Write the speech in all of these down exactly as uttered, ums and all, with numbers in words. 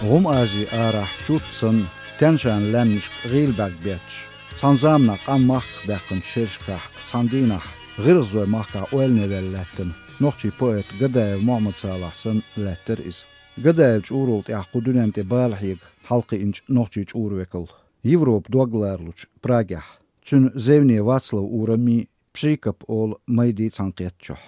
ГӀум Ази арахь чурт санна, Тянь-Шань лаьмнашка гӀийла бӀаьрг бетташ, цхьана заманахь къам махках баьккхинчу шерашкахь, цхьана дийнахь гӀиргӀазой махкахь ойлане ваьлла лаьттина нохчийн поэт Гадаев Мухьаммад-Салахь санна лаьттара иза. Гадаев чӀурал тӀехь кху дуьнен тӀе бала хьега хьалакхиъначу нохчийн чӀура векал, Европа дог ларалучу Прагехь, цуьнан зевне Вацлав ураммий, Пшикап олу майдий цхьаьнакхеттачохь.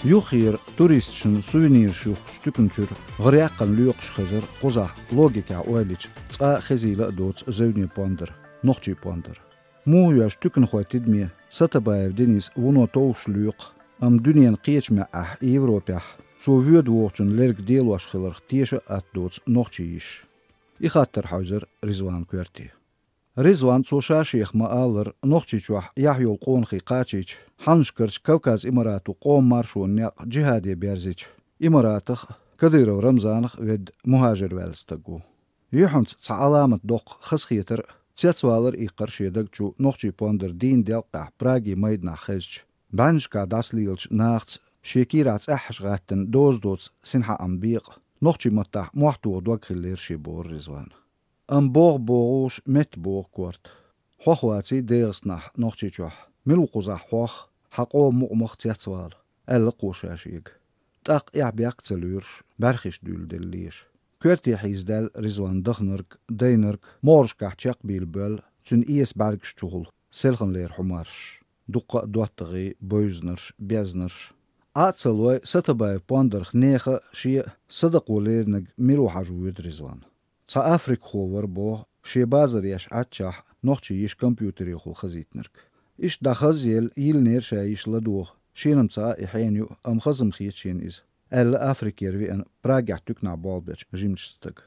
Юххера туристашна сувенираш юхкучу туькана чуьра гӀара яккхана лоькхуш хезара кхузахь, логикехь ойла йича, цкъа а хезийла а доцу зевне пондар, нохчийн пондар. Муха йоьжна туьканхойн тидаме Сатабаев Денис вуно товш лоькху, амма дуьненан кхечу маьӀӀехь, Европехь, цо воьду вогӀучун лерг делош хиларх теша а атта доцу нохчийн йиш? И хаттар хьаьвзира Ризванан коьрте. Ризван, цо ша-шех ма-аллара, Нохчийчохь яхь йолу къонахий кхачийча, хьаннашкарчу Кавказ Имарато къоман маршонан некъ джихӀаде берзича, Имаратах а, Кадыров Рамзанах а ведда мухӀажир ваьлла стаг ву. Юьхьанца цхьа Ӏаламат доккху хазахетар а, цецвалар а иккхира шен даг чу нохчийн пондар дийнан делкъехь Праги майданахь хезча, бӀеннашкахь дӀасалелачу нахаца шен кийрахь цӀеххьаш гӀаттина доза доцу синхьаам бекъа, нохчийн маттахь мохь тоха дог хиллера шен, бохура Ризвана. Амма богӀу-богӀуш метта богӀу корта. Хьох ваций ДегӀастанахь Нохчийчохь, мила ву кхузахь хьох, хьан къоман мукъамах цецвала, аьлла кхо ша шега. ТӀаккха эхь-бехк а ца лоьруш, бӀаьрхиш дуьйладелла леша. Коьрте хьийзадаьлла Ризван даханарг, дайнарг, могӀаршкахь чекхбийла боьлла, цуьнан эса бӀаьргаш чухула селханлера хьумарш, дуккха а доттагӀий, бевзанарш, безнарш. Ӏа а ца лой, Сатабаев пондарх нехан а, шен а садакъо леринарг мила ву хьажа воьду Ризван. Цхьа африкхо вара боху, шен базар еш Ӏаччахь, нохчийн йиш компьютерехула хазийтинарг. Иштта дӀахазъелла, йиллинера ша йиш ладогӀа, шена-м ца Ӏа и хьенан юкъ, амма хаза-м хета шена иза, аьлла Африкера веана Прагехь туьканахь болх бечу жимачу стага.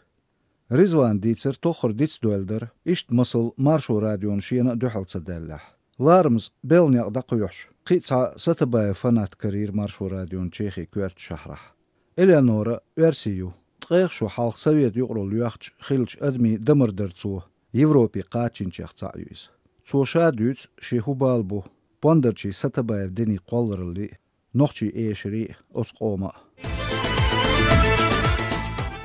Ризвана дийцар тоххара дицдойлла дара, иштта масал Маршо радиона шена а дуьхьал ца даьллехь. Ларамаза белхан некъ дӀакхоьхьуш, кхин а цхьа Сатабаев фанат карийра Маршо радион Чехин коьртачу шахьарахь. Элеонора оьрси ю. Ткъех шо хьалха Совет юкъаралла йоьхча хиллачу адамийн дамардарцо Европе кхачийначех цхьаъ ю иза. Цо ша дуьйцу, шен хӀун бала бу пондарчийн Сатабаев Денин кхоллараллий а, нохчийн эшарий а, оцу къоман а.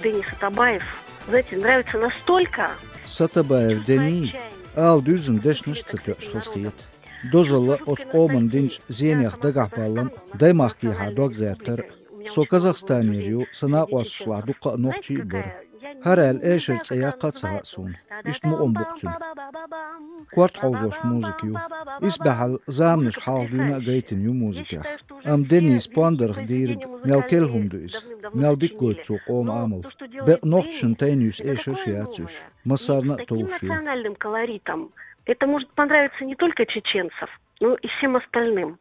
Дени Сатабаев, знаете, нравится настолько, Сатабаев Дени ала дуьззина дешнаш а ца тоьуш хазахета. Дозалла оцу къоманна динчу зенех дагахь баллам а, даймахкехьа дог гӀертар а. Со Казахстанера ю, сан накъослашлахь дуккха а нохчий а бара. ХӀара аьлла эшар цӀе яккха а ца хаьа суна. Иштта мукъам бу-кх цуьнан. Корта хьовзош музыка ю. Исбаьхьалла заманаш хьалха дуьйна а гайтина ю музыкехь. Амма Денис пондарх дийриг мел керла хӀума ду иза. Мел дика гойту цо къоман Ӏамал. Бекъа нохчашна тайна юьсу эшарш яц уьш. Массарна а товш ю. Национальным колоритом. Это может понравиться не только чеченцам, но и всем остальным.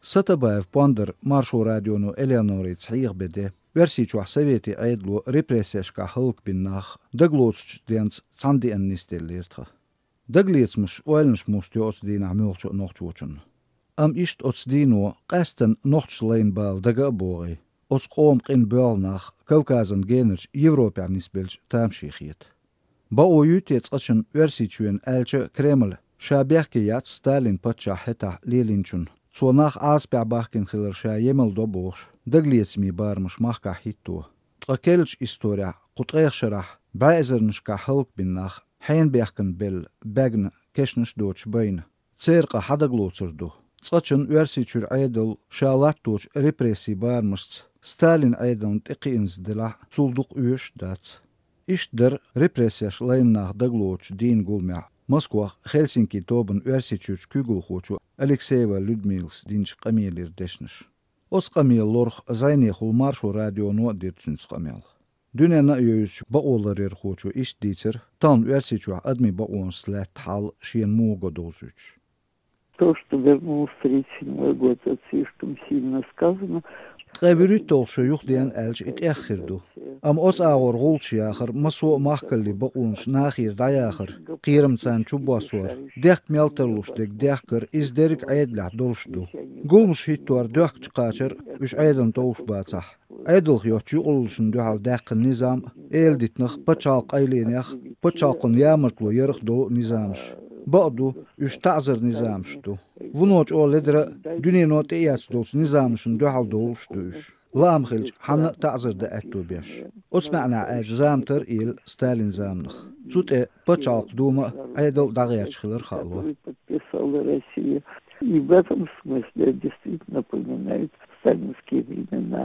Сатабаев пондар Маршо радионо Элеонорца хьеха бен де, Оьрсийчохь советийн Ӏедало репрессешкахь хӀаллакбина нах дагалоцучу денца цхьана деана нисделлера тхан. Дагалецамаш, ойланаш муста йо оцу дийнахь муьлххачу а нохчочунна. Амма иштта оцу дийно къаьсттина нохчаша лайна бала дага а богӀий, оцу къоман къина боьлху нах Кавказан генарчу Европехь нисбелча тамашийна хета. Бакъо юй те цкъачунна Оьрсийчоьнан аьлча а Кремль ша бехке яц Сталин паччахь хӀетахь лелийначунна, цо нах Ӏазапехь бахкийна хилар ша емал до бохуш, дагалецамийн барамаш махкахь хӀитто. Ткъа керлачу исторехь кху ткъех шарахь бӀе эзарнашкахь хӀаллакбина нах хьенан бехкана белла, бегна, кешнаш а доцуш байна. Церан къа хьан дагалоцур ду? Цкъачунна Оьрсийчуьра Ӏедало ша латточу репрессийн барамашца Сталин Ӏедална тӀекхиънза делахь а, цул дукха оьшуш а дац. Иштта дара репрессеш лайна нах дагалоцучу дийнан гуламехь Москвахь Хельсинкин тобанан Оьрсийчуьрчу куьйгалхочо Алексеева Людмилас динчу къамелера дешнаш. Оцу къамелан лорах зӀенехула Маршо радионо а дира цуьнца къамел. Дуьненна а евзачу бакъоларъярхочо иштта дийцира тахана Оьрсийчохь адамийн бакъонашца лаьтта хьал, шена муха го довзуьйтуш. То, что вернулся тридцать седьмой год, это слишком сильно сказано. Ткъе вуьрхӀитталгӀа шо юхадеана аьлча, и тӀех хир ду. Амма оцу агӀор гӀулчаш яхар, массо а махкаллийн бакъонаш нахера дӀаяхар, кхерам царна чубоссор, дехка мел тарлуш дерг дехкар, иза дерриг а Ӏедалехь долуш ду. Гуламаш хӀиттор доьхкачу кхачар а, уьш Ӏедална товш бацахь. Ӏедалх йоцучу юкъараллашна дуьхьал даьккхина низам а, эладитанах, пачхьалкхан къайленех, пачхьалкхан ямартло ярх долу а низамаш. Бакъду, уьш таӀзар низамаш ду. Вуно чӀогӀа ледара а, дуьнено тӀеэцна долчу низамашна дуьхьал долуш а ду уьш. Лаам хилча, хьанна а таӀзар дан аьтто беш. Оцу маьӀнехь аьлча, зама тар а елла Сталин заманах. Цу тӀе Пачхьалкх Дума а, Ӏедал а дӀагӀерташ хилар хаало. Который подписала Россия. И в этом смысле действительно напоминает сталинские времена.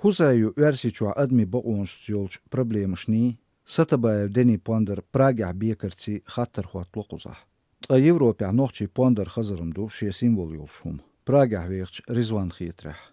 ХӀусайо Оьрсийчохь адамийн бакъонашца йолчу проблемашний, Сатабаев Дени пондар Прагехь бекарций хаттар хӀоттало кхузахь. Ткъа Европехь нохчийн пондар хазар-м ду шен символ йолуш хӀума, Прагехь вехачу Ризванан хетарехь.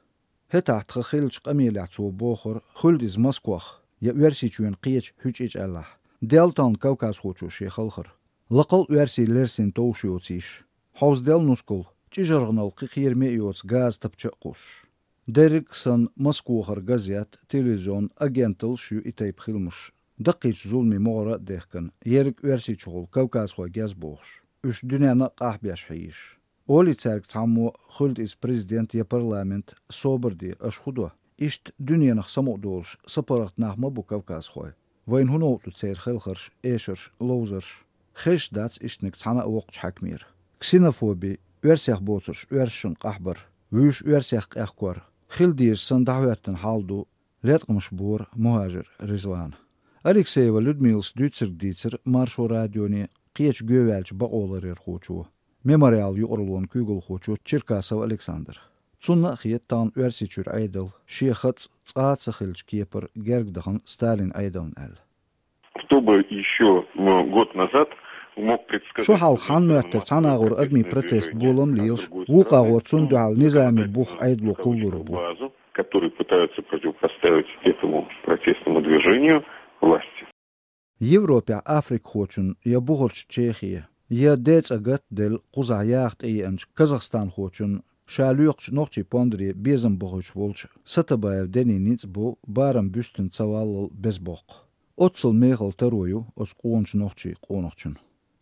ХӀетахь тхан хиллачу къамелехь цо бохура, хуьлда иза Москох, я Оьрсийчоьнан кхечу хӀуьчӀича аьллахь, делла тахана кавказхочо шен халхар. Лакхал а Оьрсий лерсина товш йоцийша, хьовзаделла нускал, чӀижаргӀанал кхин кхераме а йоцу газа тапча а кхуссуш. Дерриг а санна, Москохара газет, телевизион, агенталлаш а ю и тайпа хиламаш. Даккхийчу зуламийн могӀара а дехкина, ерриг Оьрсийчухула кавказхой геза бохуш, уьш дуьненна а къахьбеш хьийзаш. Олий цаьрга цхьаммо, хуьлда иза президент я парламент, собар де, аша хӀун до? Иштта дуьненах самукъадолуш, сапаргӀат нах ма бу кавказхой. Вайна хӀун новкъа ду церан хелхарш, эшарш, ловзарш? Хезаш дац ишттаниг цхьана а воккхачу хьаькамера. Ксенофоби, оьрсех боцурш оьрсашна къахьбар, вуьйш оьрсех къехкор, хила дезаш санна дӀахӀоьттина хьал ду, леткъамаш бора МухӀажир Ризвана. Алексеева Людмилас дуьйцург дийцира Маршо радионе кхечу гоьваьллачу бакъоларъярхочо, Мемориал юкъараллин куьйгалхочо Черкасов Александра. Цунна а хета тахана Оьрсийчуьра Ӏедал шен хатӀ цкъа а ца хиллачу кепара герга дахана Сталинан Ӏедална аьлла. Кто бы ещё, м, год назад мог предсказать... Шо хьалха хьанна моьттура цхьана агӀор адамийн протест болам лелаш, вукху агӀор цунна дуьхьал низамийн бух Ӏедало кхуллур бу. Базу, которые пытаются противопоставить этому протестному движению власти. Европехь африкхочун я бухарчу Чехе, я ден цӀа гатделла кхузахь яха тӀееанчу казахстанхочун ша лоькхучу нохчийн пондаре безам бохуьйтуш волчу Сатабаев Денин ницкъ бу барам буьстина ца валлал беза боккха. Оццул мехала таро ю оцу къоначу нохчийн къонахчун.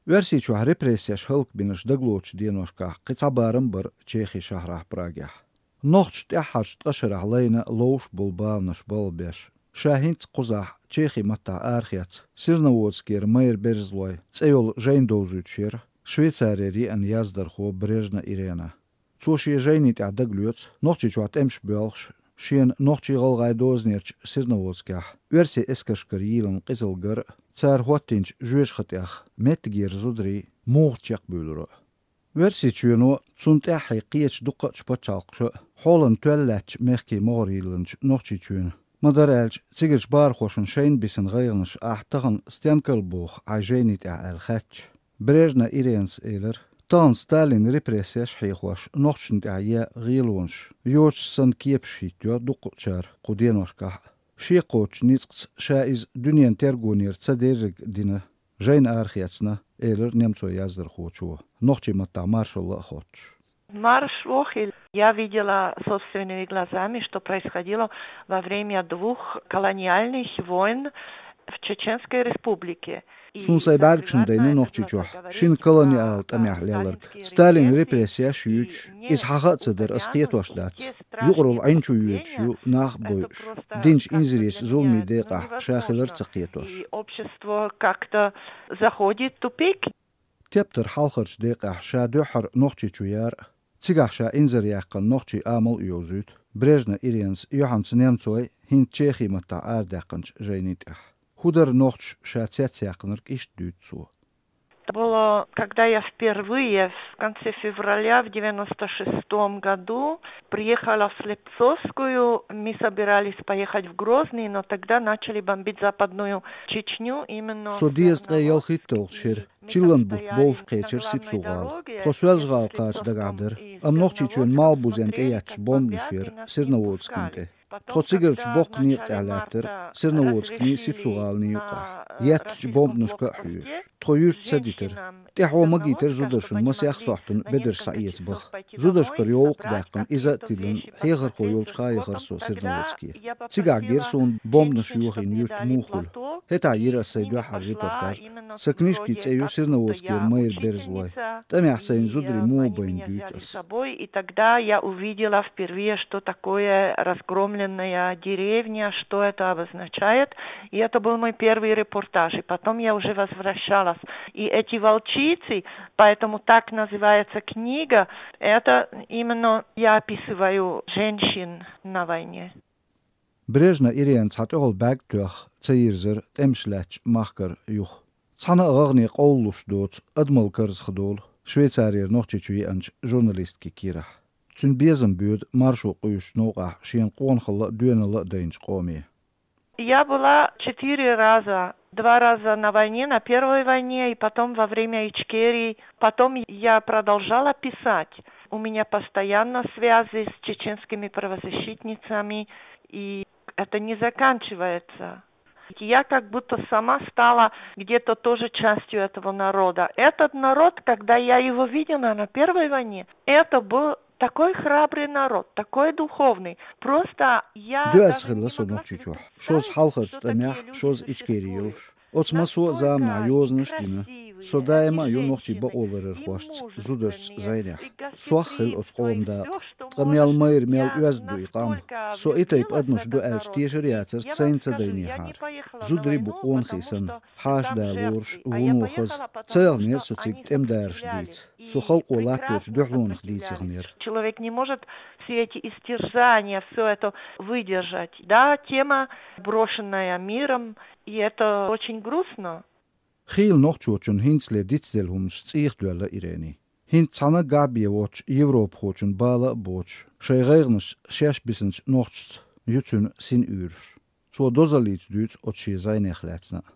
Оьрсийчохь репрессеш хӀаллакбинарш дагалоцучу деношкахь кхин цхьа барам бара Чехин шахьрахь Прагехь. Нохчаша тӀаьххьарчу ткъа шарахь лайна ловш болу баланаш балхабеш, ша хӀинца кхузахь Чехин маттахь арахецна Серноводскера Майра Берзлой цӀе йолу жайна довзуьйтуш яра Швейцарера еана яздархо Брежна Ирена. Цо шен жайни тӀехь дагалоьцу, Нохчийчохь тӀемаш боьлхуш, шена нохчийн-гӀалгӀайн дозанерчу Серноводскехь оьрсийн эскаршкара йийлина къизалла гар а, цара хӀоттийначу жоьжахатех меттигера зударий муха чекхбуьйлура а. Оьрсийчоьно, цунна тӀаьххье кхечу дуккхачу пачхьалкхаша а хьолан тоьлла лаьттачу мехкийн могӀара йиллинчу Нохчийчоьнан, ма-дарра аьлча, цигарчу бахархошна шайна бисина гӀайгӀанаш ахь тахана стенкал боху хьайн жайни тӀехь аьлла хаьттича, Брежна Иренас элира, тахана Сталинан репрессеш а хьехош нохчашна тӀехь е гӀелонаш, йоцуш санна кепаш хӀиттайо дуккхачара кху деношкахь а. Шен кхочучу ницкъаца ша иза дуьненан тергонера ца дерриг а дина, жайна арахецна, элира немцойн яздархочо, нохчийн маттахь маршалла а хоттуш. Марш охель. Я видела собственными глазами, что происходило во время двух колониальных войн в Чеченской Республике. Суна сайн бӀаьргашна дайна Нохчийчохь шина колониал тӀамехь лелларг. Сталинан репрессеш а юьйцуш, иза хьаха а ца дара, ас кхетош дац. Юкъаралла Ӏин чу йоьдуш ю нах а бойуш, динчу инзаречу зуламийн декъахь ша хилар а ца кхетош. И общество как-то заходит в тупик. Тептар хьалхарчу декъехь ша дуьххьара Нохчийчу яра а, цигахь ша инзаръяьккхина нохчийн амал а йовзуьйту Брежна Иренас юьхьанца немцойн, хӀинца Чехин маттахь арадаьккхинчу жайни тӀехь. ХӀун дара нохчаша ша цецъяьккхинарг, иштта дуьйцу цо. Это было, когда я впервые в конце февраля в девяносто шестом году приехала в Слепцовскую. Мы собирались поехать в Грозный, но тогда начали бомбить Западную Чечню, именно... Со дезткъе ялхитталгӀа шера чиллан бутт бовш кхечира Сипсу-гӀала. Тхо Соьлжа-гӀала кхача дагахь дара, амма Нохчийчоьнан Малхбузен тӀеетташ бомбанаш яра Серноводскан тӀе. Тхо цигарчу боккха некъа тӀехь лаьттара, Серноводсканий, Сипсу-гӀаланий юкъахь, еттачу бомбанашка а хьоьжуш. Тхо юьрта ца дитира. ТӀаьхьо магийтира зударшна масех сохьтана бедарш схьаэца баха. Зударшкара йовлакх а даьккхина, иза а тиллина, хьехархо йолчу хан яхара со Серноводске. Цигахь гира суна бомбанаш йохийна юрт муха хуьлу. ХӀетахь йира ас сайн дуьххьара репортаж. Сан книжкин цӀе ю «Серноводскера Майра Берзлой». ТӀамехь сайна зударий муха байна дуьйцу ас. Собой, и тогда я увидела впервые, что такое разгромленная деревня, что это обозначает. И это был мой первый репортаж. И потом я уже возвращалась. И эти волчи Птицы, поэтому так называется книга. Это именно я описываю женщин на войне. Брежнева Ирена цхьа тӀехула бӀаьрг тоьхна ца йирзира тӀемаш лаьттачу махкара юха. Цхьана а гӀагӀне къовлалуш доцу адамал карзахдолу Швейцарера Нохчийчу еанчу журналистки кийрахь. Цуьнан безам боьду маршо къуьйсучу новкъахь шена къонахалла а, доьналла а дайначу къоме. Я была четыре раза. Два раза на войне, на первой войне, и потом во время Ичкерии. Потом я продолжала писать. У меня постоянно связи с чеченскими правозащитницами, и это не заканчивается. Я как будто сама стала где-то тоже частью этого народа. Этот народ, когда я его видела на первой войне, это был такой храбрый народ, такой духовный. Просто я... Доьаза хилла со Нохчийчохь. Шозза хьалхарчу тӀамехь, шозза Ичкери йолуш. Оцу массо а заманахь йозанаш а дина. Со даима а ю нохчийн бакъоларъярхошца, зударшца зӀенехь. Сох хилла оцу къоман дакъа. Ткъа мел майра, мел оьзда ду и къам. Со и тайпа адамаш ду аьлча тешар а яцара, сайна ца дайнехьара. Зударий бу къонахий санна, хьаша да лоруш, вуно хаза. Ца яханера со цига тӀемадараш дийца. Со халкъо латточу дуьхьалонах дийца яханера. Человек не может все эти истязания, всё это выдержать. Да, тема, брошенная миром, и это очень грустно. Хийла нохчочун хӀинцале дицделла хӀуманаш цӀийх доьлла Ирени. ХӀинца цхьана а гахь бен воцчу европахочун бала а боцуш, шайн гӀайгӀанаш шаьш бисинчу нохчашца ю цуьнан син уьйраш. Цо дозаллица дуьйцу оцу шен зӀенех лаьцна а.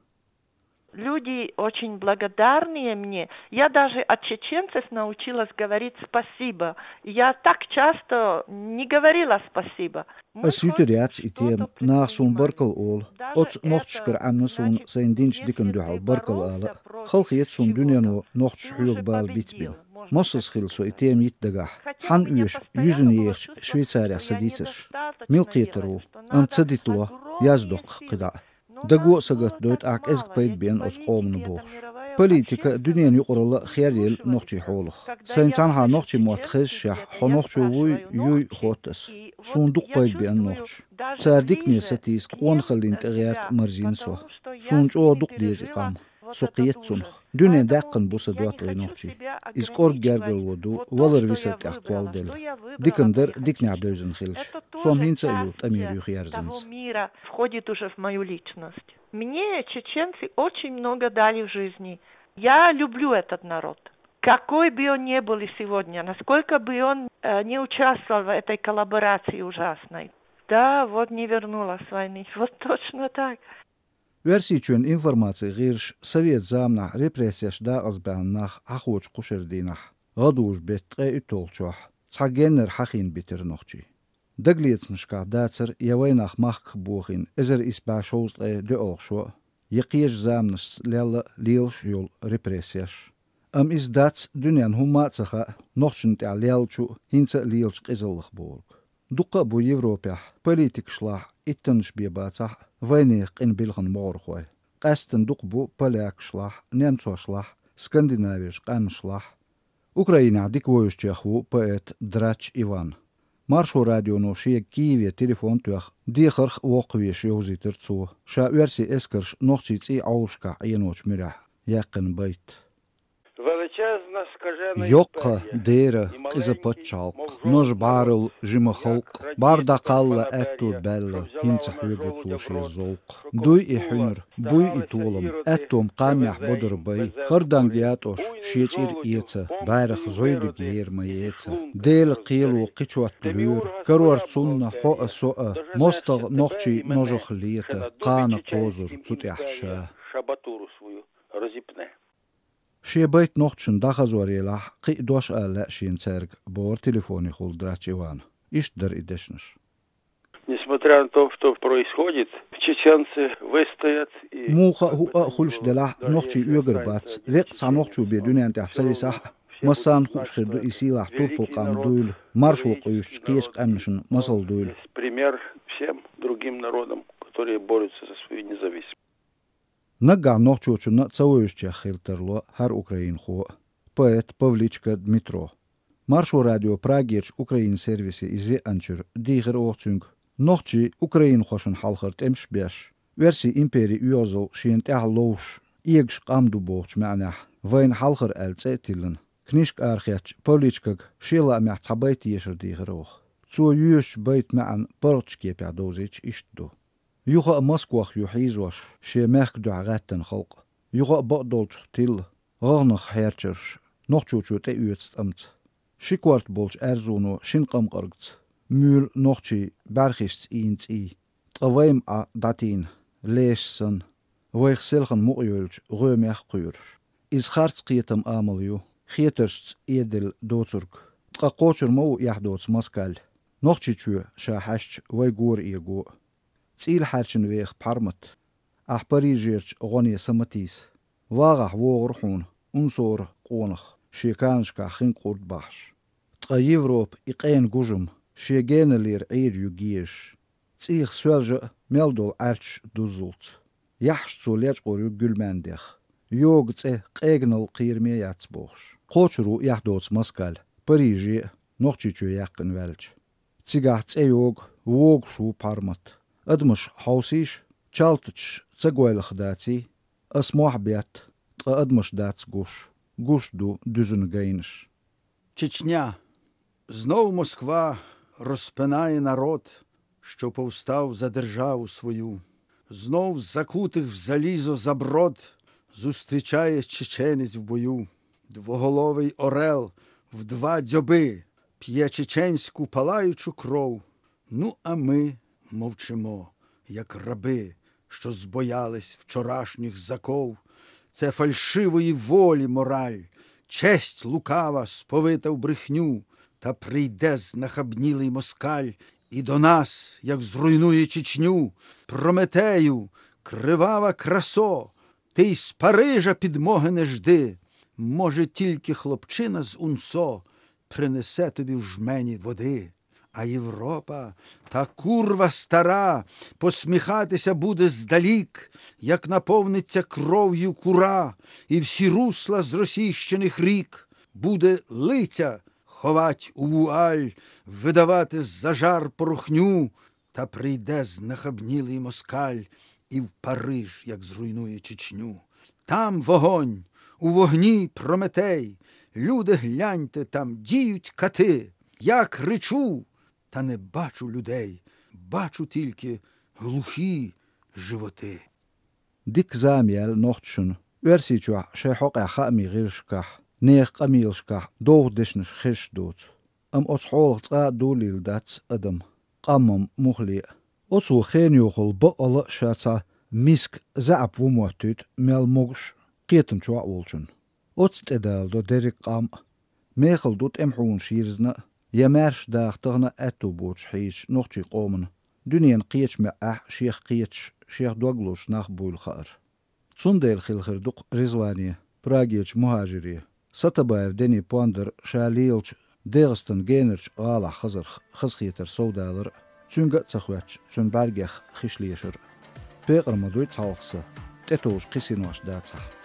Люди очень благодарные мне. Я даже от чеченцев научилась говорить «спасибо». Я так часто не говорила «спасибо». Ас юьтур яц и тема, наха суна баркалла олу. Оцу нохчашкара Ӏемна суна сайна динчу диканна дуьхьал баркалла ала. Хала хета суна дуьнено нохчаша хьоьга бала битбина. Массаза хилла со и тема йита дагахь. Хьан оьшу юьзна ехачу Швейцарехь сан дийцарш? Мила кхетар ву? Амма ца дитало, яздоккху кхидӀа а. Даго а сагатдойту ахь кӀезиг пайда беана оцу къомана бохуш. Политика а, дуьненан юкъаралла а херъелла нохчийн хьолах. Сайна цхьанхьа нохчийн мотт хезашехь, хьо нохчо вуй, юй, хотту ас. Суна дукха пайда беана нохчаша. Цара дикане сатийса, къонахаллина тӀе гӀерта марзийна со. Суна чӀогӀа дукха деза и къам. Со кхета цунах. Дуьне даьккхина бу сан доттагӀий нохчий. Иза кӀорга гергарло ду, валар-висар тӀехь кхолладелла. Диканна дара диканехь девзина хилча. Со-м хӀинца а ю тӀамера юхаерзанза. Входит уже в мою личность. Мне чеченцы очень много дали в жизни. Я люблю этот народ. Какой бы он ни был и сегодня, насколько бы он, э, не участвовал в этой коллаборации ужасной. Да, вот не вернулась с войны. Вот точно так. Оьрсийчоьнан информацин гӀирсаша совет заманахь репрессеш дакъазбаьхна нах хьахочу кхушара дийнахь, гӀадужу беттан ткъе уьтталгӀачохь, цхьа геннара хьахийна битира нохчий. Дагалецамашкахь дацара я вайнах махках бохийна эзар исс бӀе шовзткъе доьалгӀа шо а, я кхечу заманашца лелла лелаш а йолу репрессеш. Амма иза дац, дуьненна хӀумма а ца хаьа, нохчашна тӀехь леллачу а, хӀинца а лелачу къизаллах бохург. Дуккха а бу Европехь, политикашлахь, иттаннаш бен бацахь а, вайнехан къинан билхина могӀархой. Къаьсттина дукха бу полякашлахь, немцошлахь, Скандинаверчу къаьмнашлахь. Украинехь дика вевзачех ву поэт Драч Иван. Маршо радионо шега Киеве телефон а тоьхна, дехарх а воккхавеш йовзийтира цо, ша оьрсийн эскарша нохчийн цӀийн Ӏовшашкахь Ӏеночу муьрехь яьккхина байт. Величезна скажена... Йоккха, дера, къиза пачхьалкх, нож бӀарал жима халкъ, бӀар дӀакхалла аьтто баьлла, хӀинца хьоьгу цо шен зовкх. Дуй и хьуьнар, буй и толам, аьттом кхаьннехь бодар бай, хӀара данг ятӀош шен чӀир эца, бӀаьрах зӀуьйдиг ер ма еца. Делан кхело кхин чот лоьру, карор цунна хьо а, со а, мостагӀа нохчий ножах лета, кхана кхозур цу тӀехь ша. Шабатуру свою разипне. Шен байт нохчашна дӀахазор елахь, кхин а дош ала лаьа шена цаьрга, бохура телефонехула Драч Ивана. Иштта дара и дешнаш. Несмотря на то, что происходит, чеченцы выстоят и... Муха а, хӀуъа а хуьлуш делахь, нохчий оьгар бац, веккъа цхьа нохчо бен дуьнен тӀехь ца висахь а, массарна хууш хир ду и сийлахь турпал къам дуйла, маршо къуьйсучу кхечу къаьмнашна масал дуйла. Пример всем другим народам, которые борются за свою независимость. Наггахь нохчочунна а ца вевзачех хила тарло хӀара украинхо а, поэт Павличка Дмитро. Маршо радион Прагерчу Украинан сервисе иза веанчуьра дийхира оха цуьнга, нохчий украинхошна хьалхара тӀемаш а беш, оьрсийн импери оьгӀазалла шена тӀехь ловзуш, эгаш къам ду бохучу маьӀнехь, вайна хьалхара аьлла цӀе а тиллина, книшка арахецначу Павличкага шен лаамехь цхьа байт ешар дийхира оха. Цо йоьшучу байтан маьӀна паргӀатчу кепехь довзийча иштта ду: юха а Москох ю хьийзош шен мехкан дуьхьа гӀаьттина халкъ. Юха а бакъдолчух тилла гӀагӀнах хьерчарш, нохчочо тӀеоьцу тӀамца. Ши корта болчу аьрзуно шина къамкъаргца, муьйлу нохчийн бӀаьрхишца ийна цӀий. Ткъа вай-м Ӏа дӀатийна, лешаш санна, вайх селхана мукъа йойлучу гӀоьмех а кхоьруш. Иза харц кхетам, амал ю, хетаршца эделла доцург. Ткъа кхочур ма ву эхь доцу москаль, Нохчийчоь ша хьаьжча, вай гора эго. ЦӀийла хьаьрчина веха Пхьармат, ахь Парижерчу гӀоне са ма тийса. ВагӀахь вогӀура хьуна унсора къонах, шен канашкахь хин кӀурд бахьаш. Ткъа Европа и къена гужам, шен геналлера Ӏийр ю гезаш. ЦӀийх соьлжа а мел долу Ӏаьрчаш дуззулц. Яххьаш цо лечкъор ю гуьлмаьндех. Йогу цӀе къеганал кхераме яц бохуш. Кхочур ву эхь доцу москаль, Париже а, Нохчийчоь яьккхина ваьлча. Цигахь цӀе йогу, вогуш ву Пхьармат. Адамаш хьовсийша, чалтачаш ца гойлах даций, ас мохь бетта, ткъа адамаш дац гуш, гуш ду дуьзна гайнаш. Чечня. Знов Москва розпинає народ, що повстав за державу свою. Знов закутих в залізо за брод зустрічає чеченець в бою. Двоголовий орел в два дзьоби п'є чеченську палаючу кров. Ну, а ми мовчимо, як раби, що збоялись вчорашніх заков. Це фальшивої волі мораль, честь лукава сповита в брехню, та прийде знахабнілий москаль і до нас, як зруйнує Чечню. Прометею, кривава красо, ти й з Парижа підмоги не жди. Може, тільки хлопчина з УНСО принесе тобі в жмені води. А Європа, та курва стара, посміхатися буде здалік, як наповниться кров'ю Кура, і всі русла з російщених рік буде лиця ховать у вуаль, видавати за жар порохню, та прийде знахабнілий москаль і в Париж, як зруйнує Чечню. Там вогонь, у вогні Прометей. Люди, гляньте, там діють кати. Я кричу, та не бачу людей, бачу тільки глухі животи. Дика зама яьлла нохчашна Оьрсийчохь шайн хьокъехь хаамийн гӀирсашкахь, нехан къамелашкахь довха дешнаш хезаш доцу. Амма оцу хьолах цкъа а долийла дац адам, къамам муххале а. Оцо хенан йохалла баккъалла а ша цхьа миска заьӀап ву моттуьйту мел могуш а, кхетам чохь а волчунна. Оцу тӀе даладо дерриг къам а. Мехала ду тӀеман хьунаш йирзина а, я маьрша даха тахана а аьтту боцуш хьийзачу нохчийн къомана дуьненан кхечу маьӀӀехь шех кхеташ, шех дог лозуш нах буйла хаар. Цундела хила хир ду-кх Ризване, Прагерчу мухӀажире, Сатабаев Дени пондар ша лелачу ДегӀастан генарчу гӀалахь хазарх хазахетар совдалар а, цуьнга а ца хоьттуш, цуьнан бӀаьргех хиш лешар а. Пекъар ма дуй цхьалха сан, тӀетовжа кхин синош дацахь.